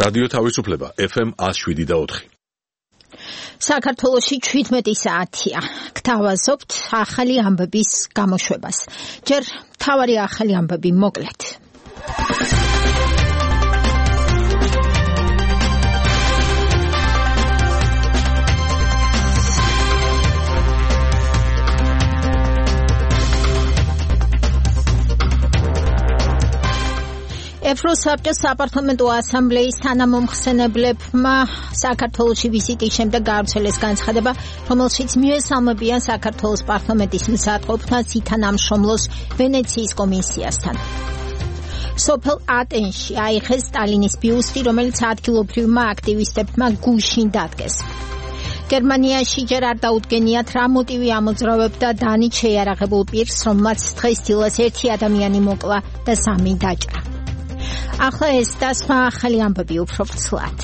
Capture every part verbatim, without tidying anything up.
რადიო თავისუფლება ეფ ემ one oh seven point four. საქართველოში ჩვიდმეტი საათია. გთავაზობთ ახალი ამბების გამოშვებას. ჯერ მთავარი ახალი ამბები მოკლედ. ევროსაბჭოს საპარლამენტო ასამბლეის თანამომხსენებლებმა საქართველოში ვიზიტის შემდეგ გაავრცელეს განცხადება, რომელშიც მიესალმებიან საქართველოს პარლამენტის მზადყოფნას ითანამშრომლოს ვენეციის კომისიასთან. სოფელ ატენში აიხეს სტალინის ბიუსტი, რომელიც ადგილობრივმა აქტივისტებმა გუშინ დადგეს. გერმანიაში ჯერ არ დაუდგენიათ რა მოტივი ამოძრავებდა დანით შეიარაღებულ პირს, რომელმაც დღესდილას ერთი ადამიანი მოკლა და სამი დაჭრა. ახლა ეს და სხვა ახალი ამბები უფრო ვრცლად.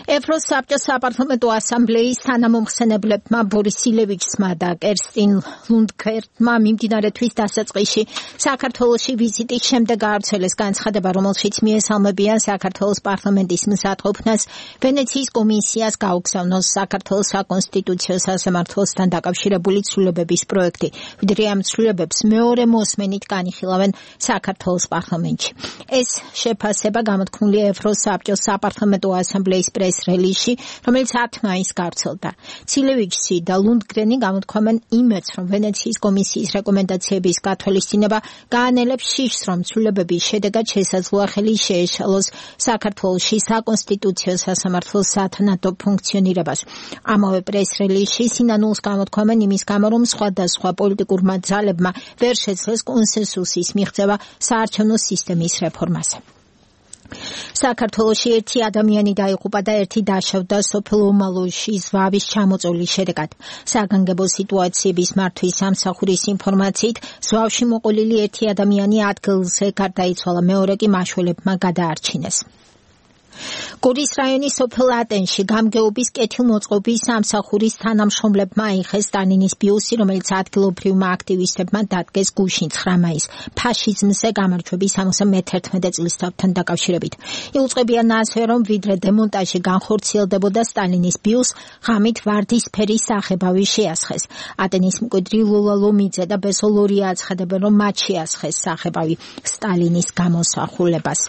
ევროსაბჭოს საპარლამენტო ასამბლეის თანამომხსენებლებმა ბორის ილევიჩსმა და კერსტინ ლუნდგერტმა მიმდინარე თვის დასაწყისში საქართველოში ვიზიტის შემდეგ გაავრცელეს განცხადება, რომელშიც მიესალმებიან საქართველოს პარლამენტის მზადყოფნას ვენეციის კომისიას გაუგზავნოს საქართველოს საკონსტიტუციო სასამართლოსთან დაკავშირებული ცვლილებების პროექტი, ვიდრე ამ ცვლილებებს მეორე მოსმენით განიხილავენ საქართველოს პარლამენტში. ეს შეფასება გამოთქმულია ევროსაბჭოს საპარლამენტო ასამბლეის პრეს რელიზში, რომელიც ათი მაისს გავრცელდა. ცილევიჩსი და ლუნდგრენი გამოთქვამენ იმედს, რომ ვენეციის კომისიის რეკომენდაციების გათვალისწინება გაანელებს შიშს, რომ ცვლილებების შედეგად შესაძლოა ხელი შეეშალოს საქართველოში საკონსტიტუციო სასამართლოს სათანადო ფუნქციონირებას. ამავე პრეს რელიზში სინანულს გამოთქვამენ იმის გამო, რომ სხვადასხვა პოლიტიკურმა ძალებმა ვერ შეძლეს კონსენსუსის მიღწევა საარჩევნო სისტემის რეფორმაზე. საქართველოში ერთი ადამიანი დაიღუპა და ერთი დაშავდა სოფელ ომალოში ზვავის ჩამოწვევის შედეგად. საგანგებო სიტუაციების მართვის სამსახურის ინფორმაციით, ზვავში მოყოლილი ერთი ადამიანი ადგილზე გარდაიცვალა, მეორე კი მაშველებმა გადაარჩინეს. გორის რაიონის სოფელ ატენში გამგეობის კეთილმოწყობის სამსახურის თანამშრომლებმა აიხეს სტალინის ბიუსტი, რომელიც ადგილობრივმა აქტივისტებმა დადგეს გუშინ ცხრა მაისს ფაშიზმზე გამარჯვების სამოცდამეთერთმეტე წლისთავთან დაკავშირებით. იუწყებიან ასე, რომ ვიდრე დემონტაჟი განხორციელდებოდა, სტალინის ბიუსტს ღამით ვარდისფერი სახებავი შეასხეს. ატენის მკვიდრი ლოლა ლომიძე და ბესო ლორია აცხადებენ, რომ მათ შეასხეს სახებავი სტალინის გამოსახულებას.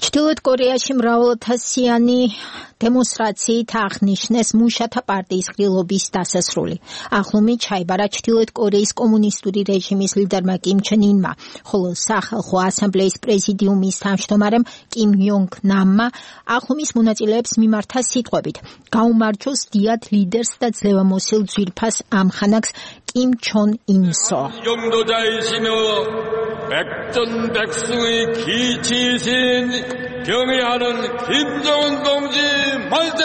ჩრდილოეთ კორეაში მრავალათასიანი დემონსტრაციით აღნიშნეს მუშათა პარტიის ყრილობის დასასრული. ახლომით ჩაიბარა ჩრდილოეთ კორეის კომუნისტური რეჟიმის ლიდერმა კიმ ჩენ ინმა, ხოლო სახალხო ასამბლეის პრეზიდიუმის თავმჯდომარემ კიმ იონგ ნამმა ახლომის მონაწილეებს მიმართა სიტყვებით: გაუმარჯოს დიად ლიდერს და ძლევამოსილ ძვირფას ამხანაგს კიმ ჩონ ინსო. 백전백승의 기치신 경의하는 김정은 동지 만세!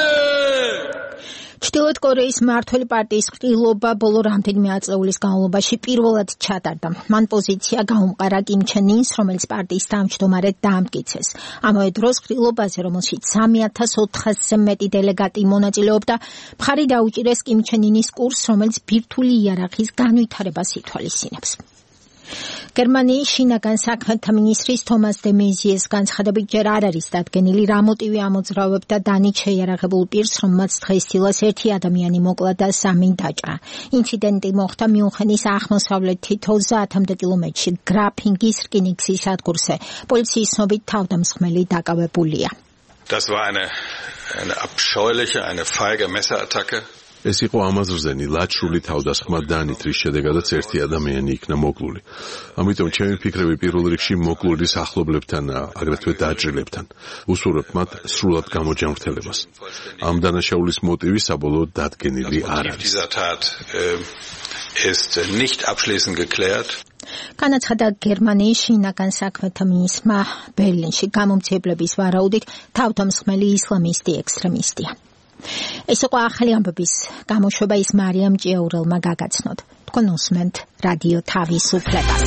ჩრდილოეთ კორეის მმართველი პარტიის ყრილობა ბოლო რამდენიმე ათწლეულის განმავლობაში პირველად ჩატარდა. მან პოზიცია გაუმყარა კიმ ჩენ ინს, რომელიც პარტიის თავმჯდომარედ დაამტკიცეს. ამავე დროს ყრილობაზე, რომელშიც სამი ათას ოთხასზე მეტი დელეგატი მონაწილეობდა, მხარი დაუჭირეს კიმ ჩენ ინის კურსს, რომელიც ბირთვული იარაღის განვითარებას ითვალისწინებს. გერმანიის შინაგან საქმეთა მინისტრის თომას დე მეზიეს განცხადებით, ჯერ არ არის დადგენილი რა მოტივი ამოძრავებდა დანით შეიარაღებულ პირს, რომელმაც დღესდილას ერთი ადამიანი მოკლა და სამი დაჭრა. ინციდენტი მოხდა მიუნხენის აღმოსავლეთით ოცდაათამდე კილომეტრში გრაფინგის რკინიგზის სადგურზე. პოლიციის ცნობით თავდამსხმელი დაკავებულია. Das war eine eine abscheuliche, eine feige Messerattacke. ეს იყო ამაზრზენი ლაჩრული თავდასხმა დანით, რის შედეგადაც ერთი ადამიანი იქნა მოკლული. ამიტომ ჩემი ფიქრები პირველ რიგში მოკლულის ახლობლებთან, აგრეთვე დაჭრილებთან. უსურვებ მათ სრულად გამოჯანმრთელებას. ამ დანაშაულის მოტივი საბოლოოდ დადგენილი არ არის. ist nicht abschließend geklärt. განაცხადა გერმანიის შინაგან საქმეთა მინისტრმა ბერლინში გამომძიებლების ვარაუდით თავდამსხმელი ისლამისტი ექსტრემისტია. ეს იყო ახალი ამბების გამოშვება, ის მარიამ ჭიაურელმა გაგაცნოთ. თქვენ უსმენთ რადიო თავისუფლებას.